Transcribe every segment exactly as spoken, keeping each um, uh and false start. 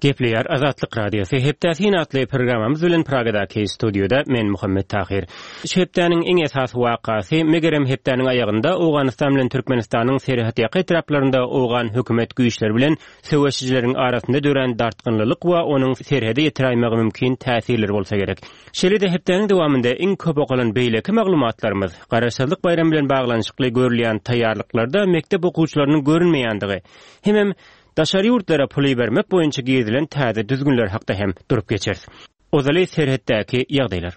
Gepleýär Azatlyk Radiosy hepde syn atly programmamyz bilen Pragadaky studioda men Muhammet Tahir. Şu hepdäniň iň esasy wakasy megerem hepdäniň aýagynda Owganystan bilen Türkmenistanyň serhetýaka etraplarynda owgan hökümet güýçleri bilen söweşijileriň arasynda dörän dartgynlylyk we onuň serhede ýetiräýmegi mümkin täsirleri bolsa gerek. Şeýle-de hepdäniň dowamynda iň köp okalan beýleki maglumatlarymyz Garaşsyzlyk baýramy bilen baglanyşykly görülýän taýýarlyklarda mekdep okuwçylarynyň görünmeýändigi hemem daşary ýurtlara pul ibermek boýunça girizilen täze düzgünler hakda hem durup geçeris. Ozaly serhetdäki ýagdaýlar.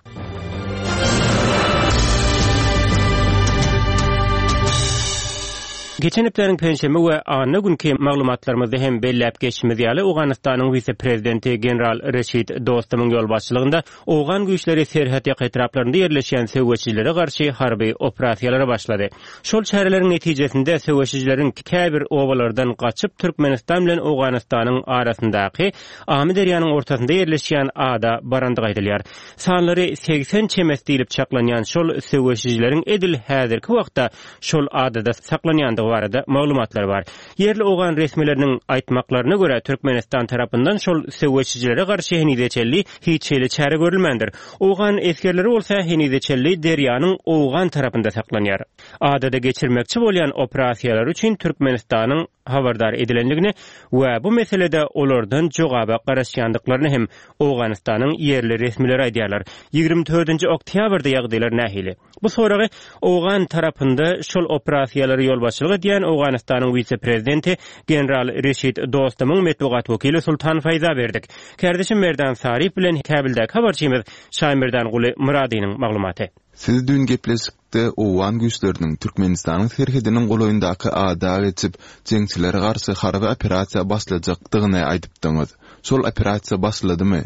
Geçen hepdäniň penşenbe we anna günki maglumatlarymyzda hem belläp geçişimiz ýaly Owganystanyň wise-prezidenti general Reşid Dostumyň ýolbaşçylygynda owgan güýçleri serhetýaka etraplarynda ýerleşýän söweşijilere garşy harby operasiýalara başlady. Şol çäreleriň netijesinde söweşijileriň käbir obalardan gaçyp Türkmenistan bilen Owganystanyň arasyndaky Amyderýanyň ortasynda ýerleşýän ada barandygy aýdylýar. Sanlary seksen çemesi diýlip çaklanýan şol söweşijileriň edil häzirki wagtda şol adada saklanýandygy barada maglumatlar bar. Ýerli owgan resmileriniň aýtmaklaryna görä Türkmenistan tarapyndan şol söweşijilere garşy henize çenli hiç hili çäre görülmändir. Owgan esgerleri bolsa henize çenli derýanyň owgan tarapynda saklanýar. Adada geçirmekçi bolýan operasiýalar üçin Türkmenistanyň habardar edilenligini we bu meselede olardan jogaba garaşýandyklaryny hem Owganystanyň ýerli resmileri aýdýarlar. Ýigrimi dördünji oktýabrda ýagdaýlar nähili? Bu soragy owgan tarapynda şol operasiýalary ýolbaşçylyk edýän Owganystanyň wise-prezidenti general Reşid Dostumyň metbugat wekili Sultan Faýza berdik. Kardeşim Merdan Sarif bilen Käbildäki habarçymyz Şaýmerdan Guly Myradynyň maglumaty. Siz dün gepleşikde owgan güýçleriniň Türkmenistanyň serhediniň golaýyndaky ada geçip, jeňçilere garşy harby operasiýa başlajakdygyny aýdypdyňyz. Şol operasiýa başladymy?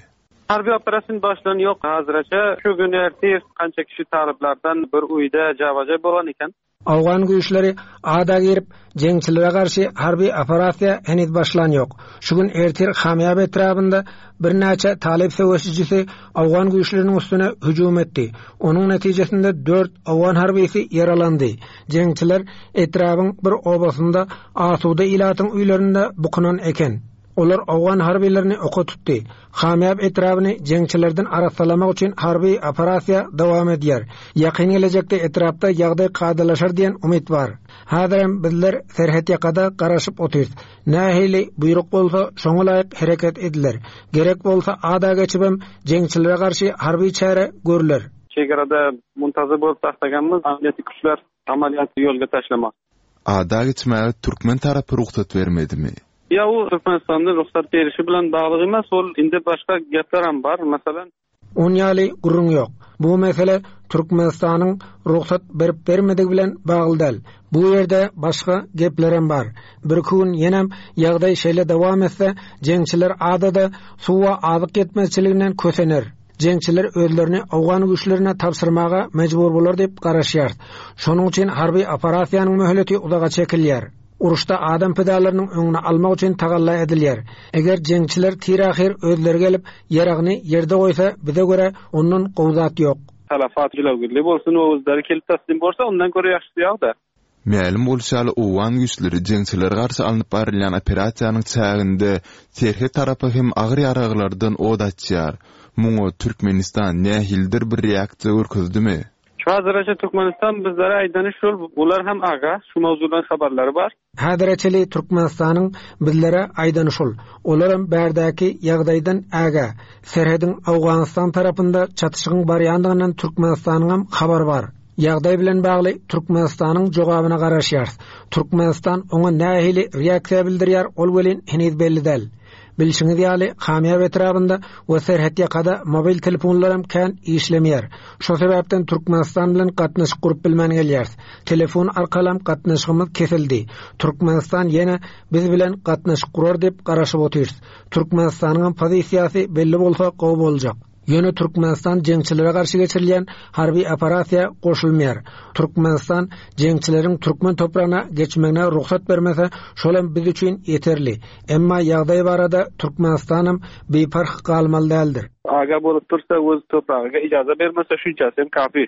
Harby operasiýa başlan ýok hazırça. Şu gün ertir kança kişi talyplardan bir uýda jawaja bolan eken. Owgan güýçleri ada girip, jeňçilere garşy harby operasiýa heniz başlan ýok. Şu gün ertir Hamýab etrabynda birnäçe talyp söweşijisi owgan güýçleriniň üstüne hüjüm etdi. Onuň netijesinde dört owgan harbysy ýaralandy. Jeňçiler etrabyň bir obasynda asuda ilatyň öýlerinde bukunan eken. Olar owgan harbylaryny oka tutdy. Hamýab etrabyny jeňçilerden arassalamak üçin harby operasiýa dowam edýär. Ýakyn gelejekde etrapda ýagdaý kadalaşar diýen umyt bar. Häzirem bizler serhet ýakada garaşyp otyrys. Nähili buýruk bolsa şoňa laýyk hereket ediler. Gerek bolsa ada geçibem jeňçilere garşy harby çäre görüler. Çegarada muntazir bolup taşlaganymyz amniýetli güýçler amaliyatı ýolga taşlamak. Ada geçmäge türkmen tarapy rugsat bermedimi? Ya o Türkmenistan'da ruhsat berişi bilen bagly emas, ol indi başga gepler hem bar. Masalan, On ýaly gürrüň ýok. Bu mesele Türkmenistanyň ruhsat berip bermedigi bilen bagly däl. Bu ýerde başga gepler hem bar. Bir gün ýenem ýagdaý şeýle dowam etse, jeňçiler adada suwa azyk ýetmezçiliginden kösener. Jeňçiler özlerini owgan güýçlerine tabşyrmaga mejbur bolar diýip garaşýar. Şonuň üçin harby operasiýanyň möhleti uzaga çekilýär. Uruşda adam pidalarynyň öňüni almak üçin tagalla edilýär. Eger jeňçiler tir-ahyr özleri gelip ýaragyny ýerde goýsa, bize görä ondan gowy zat ýok. Talafat jilawgirli bolsun, özleri kelip taslim bolsa, ondan görä ýagşysy ýok-da. Mälim bolşy ýaly owgan güýçleri jeňçilere garşy alnyp barylýan operasiýanyň çäginde serhet tarapy hem agyr ýaraglardan od açýar. Muňa Türkmenistan nähilidir bir reaksiýa görkezdimi? Şu hazırça Türkmenistan bizlere aýdany şol, bular hem aga, şu mowzudan habarlary bar. Häzirçeli Türkmenistanyň bizlere aýdany şol. Olar hem bärdäki ýagdaýdan ägä. Serhediň Owganystan tarapynda çatyşygyň barýandygyndan Türkmenistanyň hem habary bar. Ýagdaý bilen bagly Türkmenistanyň jogabyna garaşýarys. Türkmenistan oňa nähili reaksiýa bildirýär, ol welin heniz belli däl. Bilşiňiz ýaly, Hamýab etrabynda we serhet ýakada mobil telefonlar hem kän işlemeýär. Şo sebäpden Türkmenistan bilen gatnaşyk gurup bilmän gelýäris. Telefon arkaly hem gatnaşygymyz kesildi. Türkmenistan ýene biz bilen gatnaşyk gurar diýip garaşyp otyrys. Türkmenistanyň hem pozisiýasy belli bolsa gowy boljak. Ýöne Türkmenistan jeňçilere garşy geçirilýän harby operasiýa goşulmaýar. Türkmenistan jeňçileriň türkmen topragyna geçmegine rugsat bermese, şol hem biz üçin ýeterli. Emma ýagdaý barada Türkmenistanam biparh galmaly däldir. Aga bolup dursa, öz topragyna ijaza bermese, şunçasy hem kafi.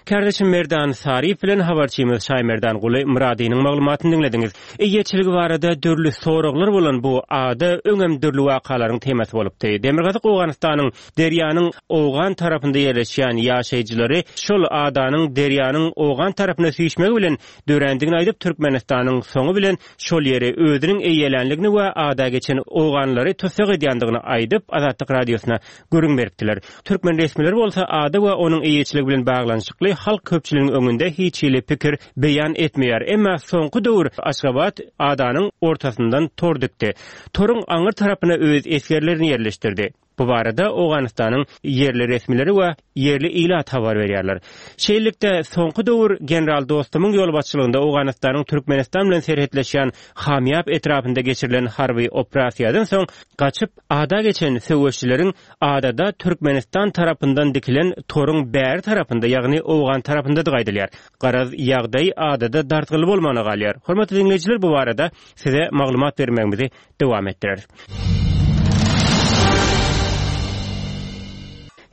Kärdeşim Merdan Saryýew bilen habarçymyz Şaýmerdanguly Myradynyň maglumatyny diňlediňiz. Eýeçiligi barada dürli soraglar bolan bu ada öňem dürli wakalaryň temasy bolupdy. Demirgazyk Owganystanyň derýanyň owgan tarapynda ýerleşýän ýaşaýjylary şol adanyň derýanyň owgan tarapyna süýşmegi bilen dörändigini aýdyp, Türkmenistanyň soňy bilen şol ýeri özüniň eýelänligini we ada geçen owganlary tussag edýändigini aýdyp, Azatlyk Radiosyna gürrüň beripdiler. Türkmen resmileri bolsa ada we onuň eýeçiligi bilen baglanyşykly halk köpçüliginiň öňünde hiç hili pikir beýan etmeýär. Emma soňky döwür Aşgabat adanyň ortasyndan tor dikdi. Toruň aňyr tarapyna öz esgerlerini ýerleşdirdi. Bu barada Owganystanyň ýerli resmileri we ýerli ilat habar berýärler. Şeýlelikde, soňky döwür general Dostumyň ýolbaşçylygynda Owganystanyň Türkmenistan bilen serhetleşýän Hamýap etrapynda geçirilen harby operasiýadan soň gaçyp ada geçen söweşçileriň adada Türkmenistan tarapyndan dikilen toruň bäri tarapynda, ýagny owgan tarapyndadygy aýdylýar. Garaz, ýagdaý adada dartgynly bolmagyna galýar. Hormatly diňleýjiler, bu barada size maglumat bermegimizi dowam etdireris.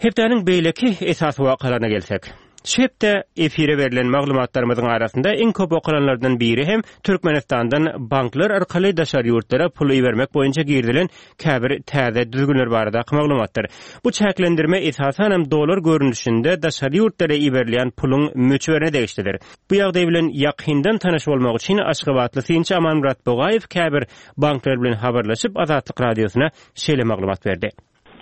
Hepdäniň beýleki esasy wakalaryna gelsek. Şu hepde efire berlen maglumatlarymyzyň arasynda iň köp okalanlardan biri hem Türkmenistandan banklar arkaly daşary ýurtlara pul ibermek boýunça girizilen käbir täze düzgünler baradaky maglumatdyr. Bu çäklendirme esasanam dollar görnüşinde daşary ýurtlara iberilýän puluň möçberine degişlidir. Bu ýagdaý bilen ýakyndan tanyş bolmak üçin Aşgabatly synçy Amanmyrat Bogaýew käbir banklar bilen habarlaşyp Azatlyk Radiosyna şeýle maglumat berdi.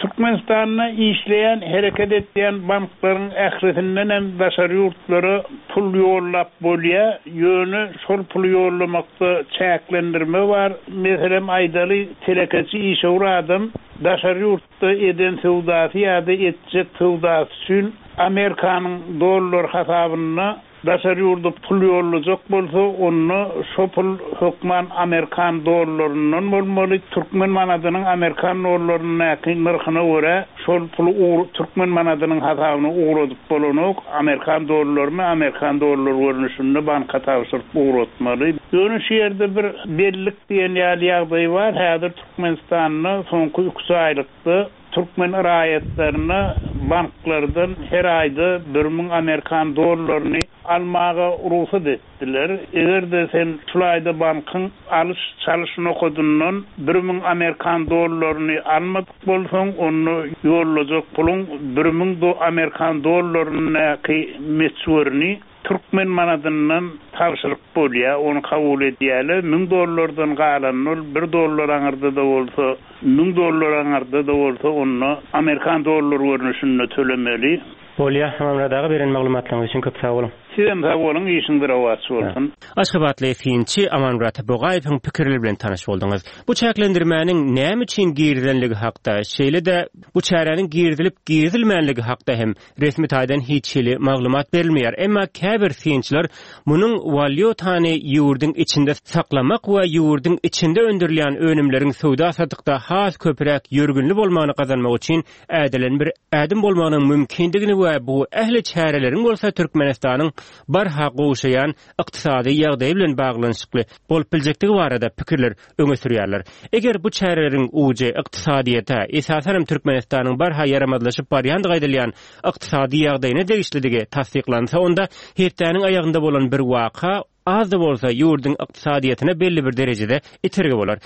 Türkmenistanda işleýän, hereket edýän banklaryň ählisinden hem daşary ýurtlara pul ýollap bolýar. Ýöne şol puly ýollamakda çäklendirme bar. Meselem aýdaly, telekeçi işewür adam daşary ýurtda eden söwdasy ýa-da etjek söwdasy üçin Amerikanyň dollar hasabynda daşary ýurda pul ýollajak bolsa, onda şo pul hökman Amerikan dollaryndan bolmaly. Türkmen manadynyň Amerikan dollaryndaky nyrhyna görä şol puly ugur türkmen manadynyň hasabyna ugradyp bolanok. Amerikan dollaryny Amerikan dollar görnüşinde banka tabşyryp ugratmaly. Ýöne şu ýerde bir bellik diýen ýaly ýagdaý bar. Häzir Türkmenistanda soňky üç aýlykda türkmen raýatlaryna banklardan her aýda bir müň Amerikan dollaryny almaga rugsat etdiler. Eger-de sen şul aýda bankyň alyş çalyş nokadyndan bir müň Amerikan dollaryny almadyk bolsaň, onda ýollajak puluň bir müň Amerikan dollaryndaky möçberini türkmen manadyndan tabşyryp bolýar, ony kabul edýärler. Müň dollardan galan ol bir dollar aňyrda-da bolsa, müň dollar aňyrda-da bolsa, onda Amerikan dollar görnüşinde tölemeli. Bolýar, Amanmyrat aga, beren maglumatlaryňyz üçin köp sag boluň. Sizem sag boluň, işiňiz rowaç bolsun. Aşgabatly synçy Amanmyrat Bogaýewiň pikirleri bilen tanyş bolduňyz. Bu çäklendirmäniň näme üçin girizilenligi hakda, şeýle-de bu çäräniň girizilip girizilmänligi hakda hem resmi taýdan hiç hili maglumat berilmeýär. Emma käbir synçylar munuň walýutany ýurduň içinde saklamak we ýurduň içinde öndürilýän önümleriň söwda satykda has köpräk ýörgünli bolmagyny gazanmak üçin ädilen bir ädim bolmagynyň mümkindigini we bu ähli çäreleriň bolsa Türkmenistanyň barha gowşaýan ykdysady ýagdaýy bilen baglanyşykly bolup biljekdigi barada pikirler öňe sürýärler. Eger bu çäreleriň ujy ykdysadyýete, esasanam Türkmenistanyň barha ýaramazlaşyp barýandygy aýdylýan ykdysady ýagdaýyna degişlidigi tassyklansa, onda hepdäniň aýagynda bolan bir waka az-da bolsa ýurduň ykdysadyýetine belli bir derejede itergi bolar.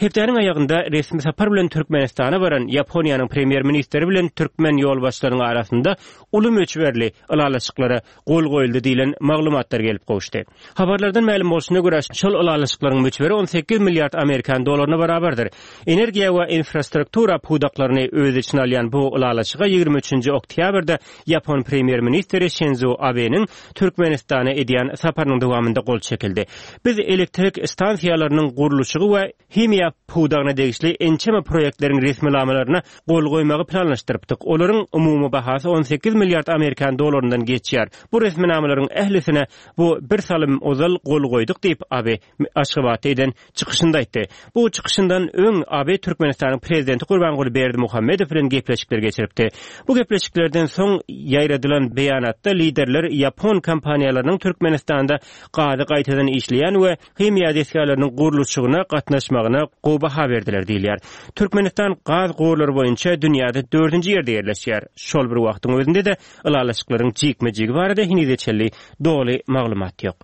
Hepdäniň aýagynda resmi sapar bilen Türkmenistana baran Ýaponiýanyň premýer-ministri bilen türkmen ýolbaşçylarynyň arasynda uly möçberli ylalaşyklara gol goýuldy diýlen maglumatlar gelip gowuşdy. Habarlardan mälim bolşuna görä, şol ylalaşyklaryň möçberi on sekiz milliard amerikan dolaryna barabardyr. Energiýa we infrastruktura pudaklaryny öz içine alýan bu ylalaşyga ýigrimi üçünji oktýabrda Ýapon premýer-ministri Şinzo Abeniň Türkmenistana edýän saparynyň dowamynda gol çekildi. Biz elektrik stansiýalarynyň gurluşygy we himiýa pudagyna degişli ençeme proýektleriň resminamalaryna gol goýmagy planlaşdyrypdyk. Olaryň umumy bahasy on sekiz milliard amerikan dolaryndan geçýär. Bu resminamalaryň ählisine bu bir salym ozal gol goýduk diýip Abe Aşgabatda eden çykyşynda aýtdy. Bu çykyşyndan öň Abe Türkmenistanyň prezidenti Gurbanguly Berdimuhamedow bilen gepleşikler geçiripdi. Bu gepleşiklerden soň ýaýradylan beýanatda liderler Ýapon kompaniýalarynyň Türkmenistanda gazy gaýtadan işleýän we himiýa desgalarynyň gurluşygyna gatnaşmagyna gowy baha berdiler diýilýär. Türkmenistan gaz gorlary boýunça dünýäde dördünji ýerde ýerleşýär. Şol bir wagtyň özünde-de ylalaşyklaryň jikme-jigi barada henize çenli doly maglumat ýok.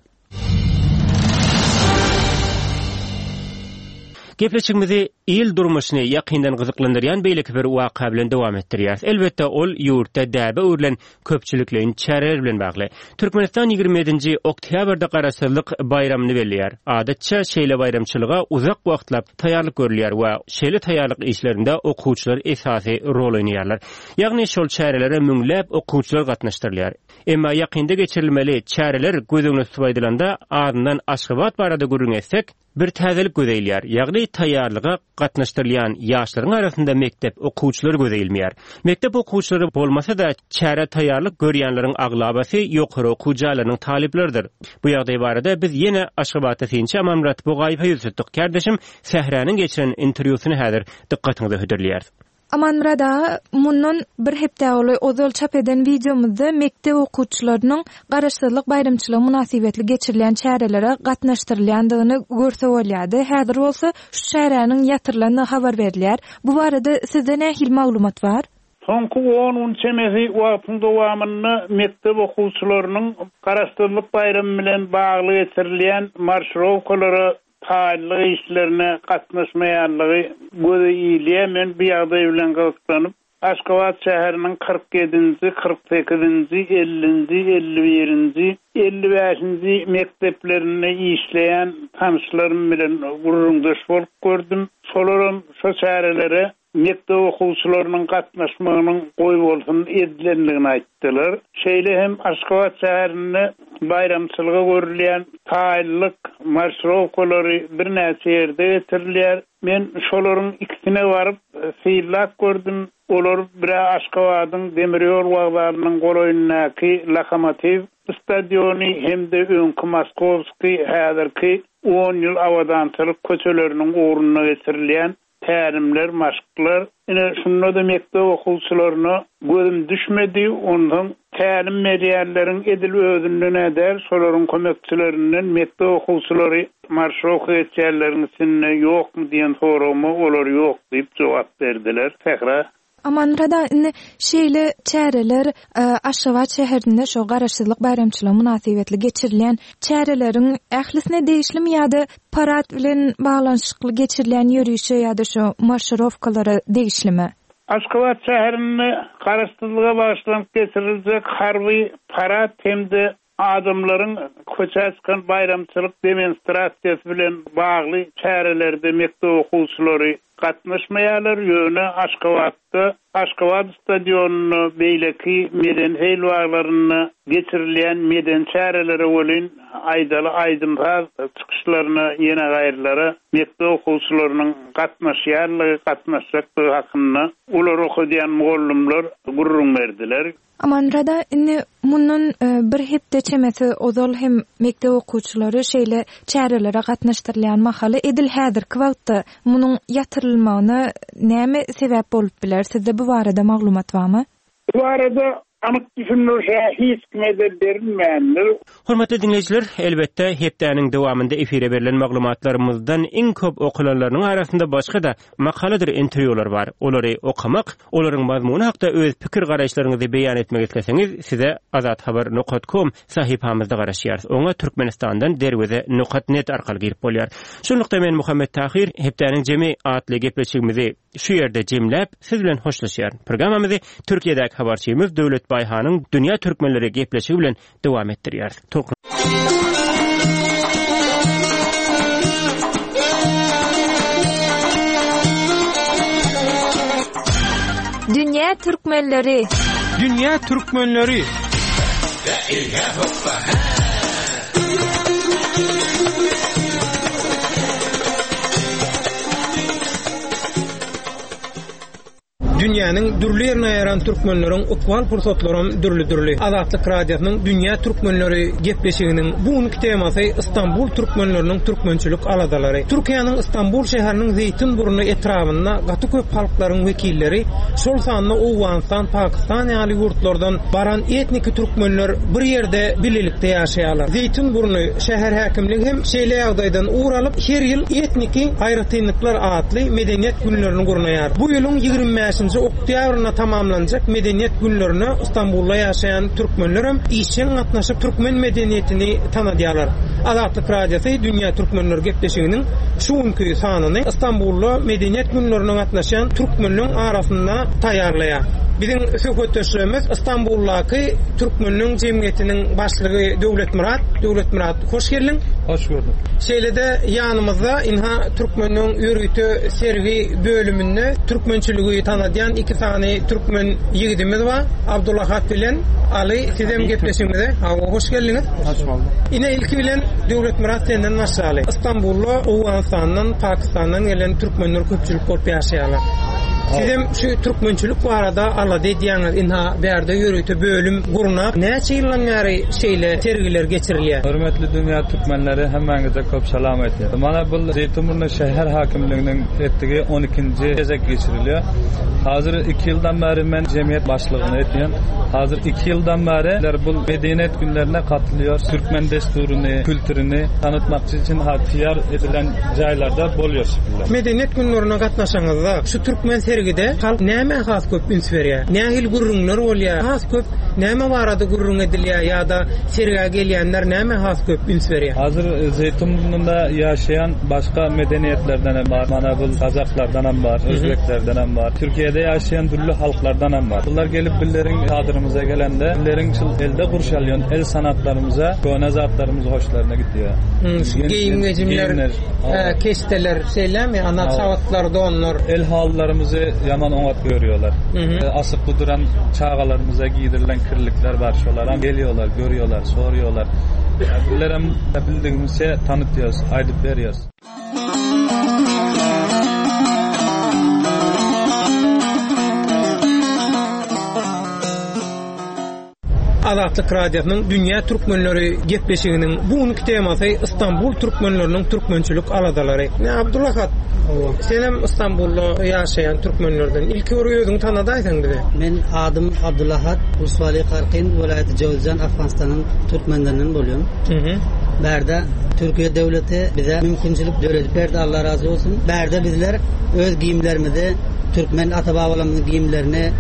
Gepleşigimizi il durmuşyny ýakyndan gyzyklandyrýan beýleki bir waka bilen dowam etdirýäris. Elbetde ol ýurtda däbe öwrülen köpçülikleýin çäreler bilen bagly. Türkmenistan ýigrimi ýedinji oktýabrda Garaşsyzlyk baýramyny belleýär. Adatça şeýle baýramçylyga uzak wagtlap taýýarlyk görülýär we şeýle taýýarlyk işlerinde okuwçylar esasy rol oýnaýarlar. Ýagny şol çärelere müňläp okuwçylar gatnaşdyrylýar. Emma ýakynda geçirilmeli çäreler göz öňüne tutup aýdylanda, azyndan Aşgabat barada gürrüň etsek, bir täzelik göze ilýär. Ýagny taýýarlyga gatnaşdyrylýan ýaşlaryň arasynda mekdep okuwçylary göze ilmeýär. Mekdep okuwçylary bolmasa-da çäre taýýarlyk görýänleriň aglabasy ýokary okuw jaýlarynyň talyplarydyr. Bu ýagdaý barada biz ýene Aşgabatda synçy Amanmyrat Bugaýewe ýüz tutduk. Kardeşim Sähräniň geçiren interwýusyny häzir dykgatyňyza hödürleýäris. Amanmyrat aga, mundan bir hepde ozal ozal çap eden wideomyzda mekdep okuwçylarynyň Garaşsyzlyk baýramçylygy mynasybetli geçirilen çärelere gatnaşdyrylýandygyny görse bolýardy. Häzir bolsa şu çäräniň ýatyrylandygy habar berilýär. Bu barada sizde nähili maglumat bar? Soňky on gün çemesi wagtyň dowamynda mekdep okuwçylarynyň Garaşsyzlyk baýramy bilen bagly geçirilýän marşrowkalara taýýarlyk işlerine gatnaşmaýanlygy göze ilýär. Men bu ýagdaý bilen gyzyklanyp, Aşgabat şäheriniň kyrk ýedinji, kyrk sekizinji, ellinji, elli birinji, elli bäşinji mekdeplerinde işleýän tanışlarym bilen gürrüňdeş bolup gördüm. Şolaram şo çärelere mekdep okuwçylarynyň gatnaşmagynyň goý bolsun edilendigini aýtdylar. Şeýle hem Aşgabat şäherinde baýramçylyga görülýän taýýarlyk marşrowkalary birnäçe ýerde getirilýär. Men şolaryň ikisine baryp synlap gördüm. Olar bire Aşgabadyň Demirýol wokzalynyň golaýyndaky Lokomotiv stadiony hem-de öňki Moskowski häzirki on ýyl abadançylyk köçeleriniň ugrunda geçirilýän tälimler, maşklar. Ine şunda da mekdep okuwçylaryna gözüm düşmedi. Ondan tälim berýänleriň edil özünden äder, şolaryň kömekçilerinden mekdep okuwçylary marşrowka geçýänleriň içinde ýokmy diýen soragyma olar ýok diýip jogap berdiler. Sähra. Amanmyrat aga, indi şeýle çäreler, e, Aşgabat şäherinde şo Garaşsyzlyk baýramçylygy mynasybetli geçirilýän çäreleriň ählisine degişlimi ýa-da parad bilen baglanyşykly geçirilýän ýörişe ýa-da şo marşrowkalara degişlimi? Aşgabat şäherinde Garaşsyzlyga bagyşlanyp geçiriljek harby parad hem-de adamlaryň köçä çykan baýramçylyk demonstrasiýasy bilen bagly çärelerde mekdep okuwçylary gatnaşmaýarlar. Ýöne Aşgabatda, Aşgabat stadionynda, beýleki medeni heýlwaglarynda geçirilýän medeni çärelere welin aýdaly aýdym-saz çykyşlaryna ýene gaýrylara mekdep okuwçylarynyň gatnaşýanlygy, gatnaşjakdygy hakynda olar okadýan mugallymlar gürrüň berdiler. Amanmyrat aga, indi mundan, e, bir hepde çemesi ozal hem mekdep okuwçylary şeýle çärelere gatnaşdyrylýan mahaly edil häzirki wagtda munuň ýatyrylmagyna näme sebäp bolup biler? Sizde bu barada maglumat barmy? Bu barada anyk düşündiriş hiç kime de berilmändir. Hormatly dinleýjiler, elbetde hepdäniň dowamynda efire berlen maglumatlarymyzdan iň köp okalanlarynyň arasynda başga-da makaladyr interwýular bar. Olary okamak, olaryň mazmuny hakda öz pikir garaýyşlaryňyzy beýan etmek isleseňiz, size azathabar nokta com sahypamyzda garaşýarys. Oňa Türkmenistandan derweze nokta net arkaly girip bolýar. Şunlukda men Muhammet Tahir hepdäniň jemi atly gepleşigimizi şu ýerde jemläp, siz bilen hoşlaşýaryn. Programmamyzy Türkiýedäki habarçymyz Döwlet Baýhanyň Dünýä Türkmenleri gepleşigi bilen dowam etdirýäris. Tolkun Dünýä Türkmenleri. Dünýä Türkmenleri. Dünýä Dünýäniň dürli ýerine ýaran türkmenleriň ykbal pursatlaram dürli-dürli. Azatlyk Radiosynyň Dünýä türkmenleri gepleşiginiň bu günki temasy Istanbul türkmenleriniň türkmençilik aladalary. Türkiýäniň Istanbul şäheriniň Zeýtinburnu etrabynda gaty köp halklaryň wekilleri, şol sanda Owganystan, Pakistan ýaly ýurtlardan baran etniki türkmenler bir ýerde birlikde ýaşaýarlar. Zeýtinburnu şäher häkimligi hem şeýle ýagdaýdan ugur alyp, her ýyl etniki aýratynlyklar atly medeniýet günlerini gurnaýar. Bu ýylyň ýigrimi bäşinji oktýabrynda tamamlanjak medeniýet günlerine Istanbulda ýaşaýan türkmenler hem işjeň gatnaşyp türkmen medeniýetini tanadýarlar. Azatlyk Radiosy Dünýä Türkmenleri gepleşiginiň şu günki sanyny Istanbulda medeniýet günlerine gatnaşýan türkmenleriň arasynda taýýarlaýar. Biziň söhbetdeşlerimiz Istanbuldaky türkmenleriň jemgyýetiniň başlygy Döwletmyrat. Döwletmyrat, hoş geldiň. Hoş gördük. Şeýle-de ýanymyzda inha türkmenleriň ýörite sergi bölüminde türkmençiligi tanadýan iki sany türkmen ýigidimiz bar. Abdulahat bilen Ali, sizem gepleşigimize hawa hoş geldiňiz. Hoş bulduk. Ine ilki bilen Döwletmyrat senden başlaly. Istanbulda Owganystandan, Pakistandan gelen türkmenler köpçülik bolup ýaşaýarlar. Sizem şu türkmençilik barada alada edýäňiz. Inha bärde ýörite bölüm gurnap, näçe ýyldan bäri şeýle sergiler geçirilýär? Hörmetli dünýä türkmenleri, hemmäňize köp salam aýtýar. Mana bu Zeýtinburnu şäher hakimliginiň etdigi on ikinji gezek geçirilýär. Hazır iki ýyldan bäri men jemgyýet başlygyny etýän. Hazır iki ýyldan bäri bu medeniýet günlerine katylýar. Türkmen desturuny, kültürüni tanıtmak üçin taýýar edilen jaýlarda bolýar şekilde. Medeniýet günlerine gatnaşaňyzda şu türkmen sergide halk näme has köp üns berýär? Nähili gürrüňler bolýar? Has köp näme barada gürrüň edilýär ýa-da sergä gelýänler näme has köp üns berýär? Hazır Zeýtinburnunda ýaşaýan başga medeniýetlerden hem bar. Mana bu Kazaklardan hem bar, Özbeklerden hem bar. Türkiýede ýaşaýan dürli halklardan hem bar. Bular gelip billeriň çadyrymyza gelende, billeriň şul elde gurşalýan el sanatlarymyza, köne zatlarymyz hoşlaryna gitýär. Hmm, şu geýim gejimler, e, keşteler, şeýlemi? Ana çabatlar, donlar. El halylarymyzy ýaman oňat görýärler. E, asykly duran çagalarymyza giydirilen kirlikler bar, şolar hem geliyorlar, görüyorlar, soruyorlar. Billerem bildigimizçe tanıtıyoruz, aýdyp berýäs. Azatlyk Radiosynyň Dünýä Türkmenleri gepleşiginiň bu günki temasy Istanbul türkmenleriniň türkmençilik aladalary. Ne Abdulahat, sen hem Istanbulda ýaşaýan türkmenlerden. Ilki bir özüňi tanadaýsaň bize. Men adym Abdulahat, Uswali Karkin, welaýaty Jowzjan, Afganistanyň türkmenlerinden bolýan. Hı Bärde Türkiye devleti bize mümkinçilik döredip berdi, Allah razı olsun. Bärde bizler öz giyimlerimizi, Türkmen ata-babalarymyzyň giyimlerini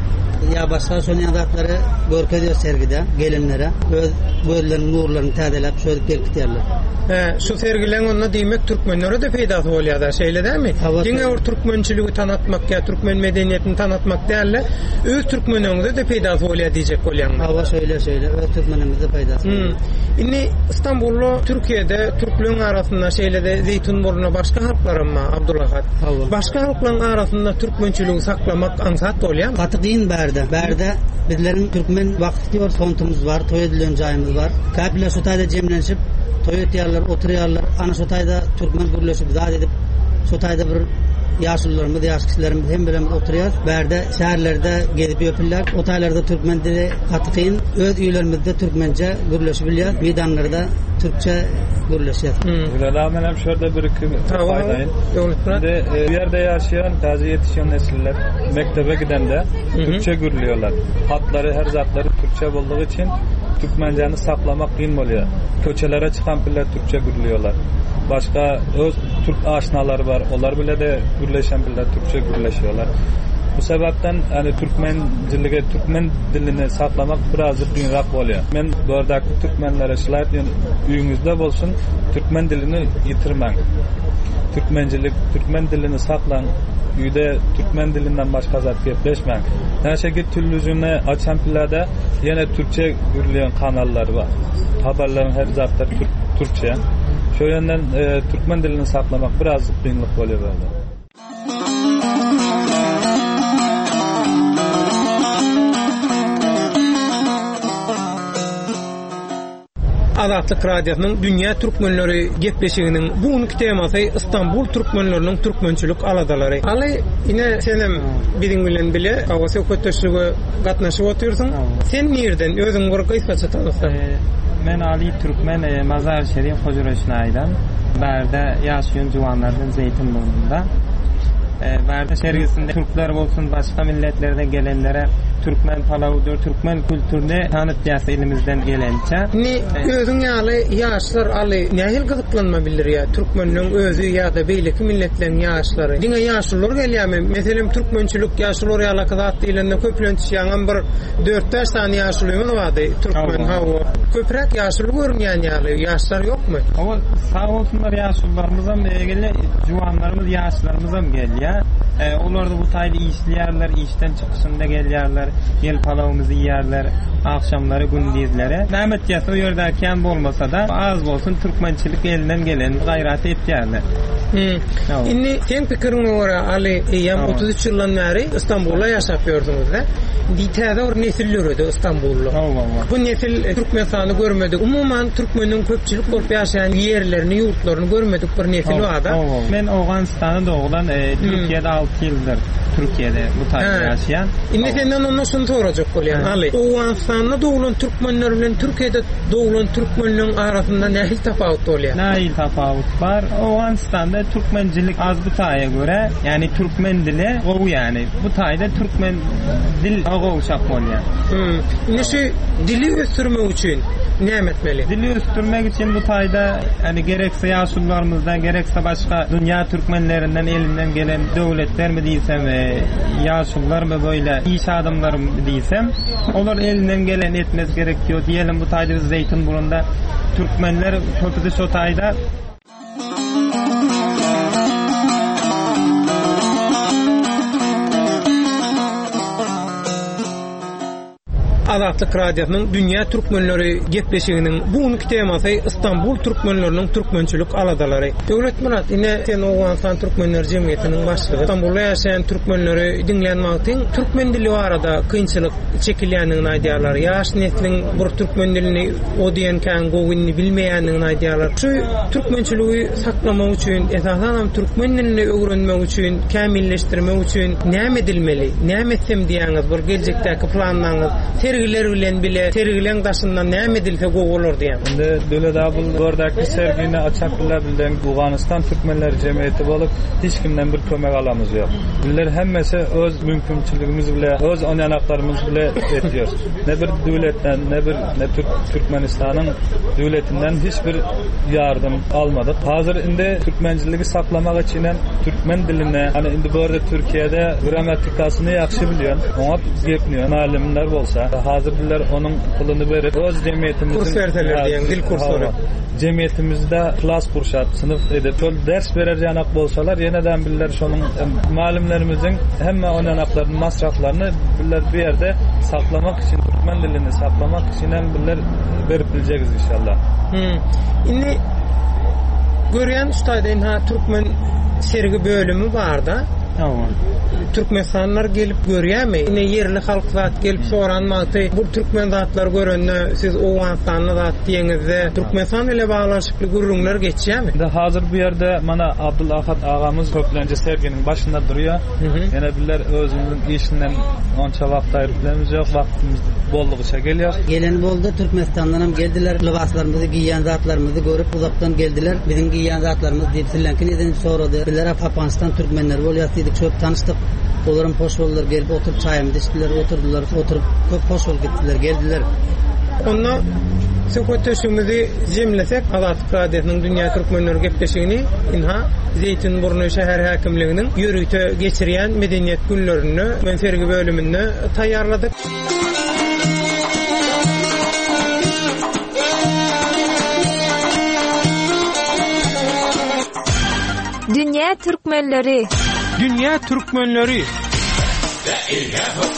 ya başga şonuň zatlary görkezýär sergide gelenlere. Öz gözleriniň nurlaryny täzeläp şöyle gelip gidýärler. He, şu sergileň onda diýmek türkmenlere de peýdasy bolýar da, şeýle dämi? Diňe bir türkmençiligi tanatmak ýa türkmen medeniýetini tanatmak däl-de, öz türkmeniňize de peýdasy bolýar diýjek bolýaňmy? Hawa, şeýle, şeýle, öz türkmenimize peýdasy. Hmm. Indi Istanbulda, Türkiýede türkleriň arasynda şeýle de Zeýtinburnu başga halklaram bar, Abdulahat. Başga halklaryň arasynda türkmençiligi saklamak aňsat bolýarmy? Gaty kyn bärde. Bärde bizleriň türkmen wagty diýor fontumyz bar, toý edilen jaýymyz bar. Käpler şu taýda jemlenişip toý etýärler, oturýarlar. Ana şu taýda türkmen gürleşip zat edip, şu taýda bir ýaşulularymyz, ýaş kişilerimiz hem bilen oturýar. Bärde şäherlerde gezip ýöpürler. O taýlarda türkmen dili gaty kyn. Öz öýlerimizde türkmence gürleşip bilýär. Meydanlarda türkçe gürleşýär. Gülela men hem şurada bir iki aýdaýyn. Şimdi e, ýerde ýaşaýan, täze ýetişen nesiller mektebe gidende türkçe gürlüyorlar. Hatlary, her zatlary türkçe boldugy üçin türkmencäni saklamak kyn bolýar. Köçelere çykan piller türkçe gürlüyorlar. Başga öz türk aşnaları var. Onlar bile de gürleşen piller türkçe gürleşiyorlar. Bu sebepten yani türkmenciligi, türkmen dilini saklamak birazcık kynrak bolýar. Men bu türkmenlere şular diýen öýüňizde bolsun, türkmen dilini ýitirmäň. Türkmencilik, türkmen dilini saklaň. Üýde türkmen dilinden başga zat gepleşmäň. Näçe git telewizyony açan pillerde ýene türkçe gürleýän kanallar bar. Habarlaryň her zatlar türk, türkçe. Şu ýönden e, türkmen dilini saklamak birazcık kynlyk bolýar böyle. Azatlyk Radiosynyň Dünýä Türkmenleri gepleşiginiň bu günki temasy Istanbul türkmenleriniň türkmençilik aladalary. Aly, ine senem biziň bilen bile hawa söhbetdeşlige gatnaşyp otyrsyň. Sen nirden? Özüň bir gysgaça tanyssaň. Men Ali Türkmen e, Mazar Şerif Hocaroşnay'dan. Bärde ýaşaýan juwanlardan Zeytinburnu'nda. E, Bärde sergisinde Türkler bolsun başga milletlerden gelenlere Türkmen palawudyr, Türkmen kültürünü tanıtýas elimizden gelençe. Indi özüň ýaly ýaşlar Aly nähili gyzyklanma bildirýär? Türkmenleň özi ýa-da beýleki milletleriň ýaşlary. Diňe ýaşulylar gelýärmi? Meselem türkmençilik ýaşulylar ýaly zat diýlende köplenç ýaňam bir dört-bäş sany ýaşulyňyz bardy. Türkmen hawa. Köpräk ýaşuly görünýän ýaly, ýaşlar ýokmy? Hawa, sag bolsunlar ýaşulylarymyzam, egele juwanlarymyz, ýaşlarymyzam gelýär. E, olar da bu taýda işleýärler, işden çykyşynda gelýärler, gel palawymyzy iýerler, akşamlary, gündizleri. Mehmet ýasa o ýerdäki bolmasa da az bolsun türkmençilik elinden gelen gaýrat etýärler. Hmm. Indi sen pikiriňe görä Ali eýýäm otuz üç ýyldan bäri Istanbulda ýaşap ýördüňiz-de. Indi täze bir nesil döredi Istanbulda. Bu nesil Türkmenistany görmedik. Umuman türkmeniň köpçülik bolup ýaşaýan ýerlerini, ýurtlaryny görmedik bir nesil barda. Men Owganystanda doglan, e, Türkiýede alty ýyldyr Türkiýede bu taýda ýaşaýan. Indi senden ondan şunu sorajak bolýan Ali. Owganystanda doglan türkmenler bilen Türkiýede doglan türkmenlerin arasynda nähili tapawut bolýar? Nähili tapawut bar? Owganystanda türkmencilik az bu taýa görä, ýani türkmen dili gowy ýani. Bu taýda türkmen dil gowşak bolýar. Hmm. Indi şu dili ösdürmek üçin näme etmeli? Dili ösdürmek üçin bu taýda ýani gerekse ýaşulylarymyzdan, gerekse başga dünýä türkmenlerinden elinden gelen döwletler mi diýsem, e, ýaşulylar mı böyle iş adamlary mı diýsem, olar elinden gelen etmez gerek diyor. Diyelim bu taýda biz Zeytinburnu'nda türkmenler köpüsü şo taýda. Azatlyk Radiosynyň Dünýä Türkmenleri gepleşiginiň bu günki temasy Istanbul türkmenleriniň türkmençilik aladalary. Döwletmyrat, ine sen Owganystan Türkmenler Jemgyýetiniň başlygy. Istanbulda ýaşaýan türkmenleri diňlän wagtyň türkmen dili barada kynçylyk çekilýändigini aýdýarlar. Ýaş nesliň bir türkmen dilini o diýen kän gowyny bilmeýändigini aýdýarlar. Şu türkmençiligi saklamak üçin, esasan hem türkmen dilini öwrenmek üçin, kämilleşdirmek üçin näme edilmeli? Näme etsem diýäňiz, bir geljekdäki planlaryňyz, sergiler bilen bile, sergileň daşyndan näme edilse gowy bolar diýen. Indi Döwlet abul bordaki sergini açak bile bilen Owganystan Türkmenler Jemgyýeti bolup hiç kimden bir kömek alamyz ýok. Bizler hemmesi öz mümkinçiligimiz bile, öz onyanaklarymyz bile etýär. Ne bir döwletden, ne bir ne Türk Türkmenistanyň döwletinden hiç bir yardım almadyk. Hazır indi türkmenciligi saklamak üçin türkmen diline, hani indi bu arada Türkiye'de grammatikasyny ýagşy bilýän, oňa gepniýän alimler bolsa, hazır bizler onun puluny berip öz cemiyetimizin kurs berseler diýen dil kurslary. Cemiyetimizde klas kurşat, sınıf edip şol ders berer yanak bolsalar yeneden bizler şonun malimlerimizin hemme oynanaklarının masraflarını bizler bir yerde saklamak için türkmen dilini saklamak için hem bizler berip bileceğiz inşallah. Hmm. Indi görýän şu taýda inha türkmen sergi bölümi barda. Tamam. Türkmenistanlar gelip görýärmi? Ine ýerli halk zat gelip soran wagty bu türkmen zatlar görende siz Owganystanly zat diýeňizde Türkmenistan ile baglanşykly gürrüňler geçýärmi? Indi hazır bu ýerde mana Abdulahat ağamız köplenje serginiň başynda durýar. Ýene bizler özümizin işinden onça wagt aýryp bilemizok, wagtymyz boldugyça gelýär. Gelen boldy, Türkmenistandan hem geldiler, lybaslarymyzy giýen zatlarymyzy görüp uzakdan geldiler. Biziň giýen zatlarymyz diýip sizleňki neden sorady. Bizler Afganistan türkmenleri bolýar diýdik, çöp tanışdyk. Olaryň hoş boldular, gelip oturup çaýymyzy içdiler, oturdular, oturup köp hoş bolup gitdiler, geldiler. Onda söhbetdeşligimizi jemlesek, Azatlyk Radiosynyň Dünýä Türkmenleri gepleşigini inha Zeytinburnu şäher häkimliginiň ýörite geçirýän medeniýet günlerinde men sergi bölüminde taýýarladyk. Dünýä Türkmenleri. Dünýä Türkmenleri. La ilaha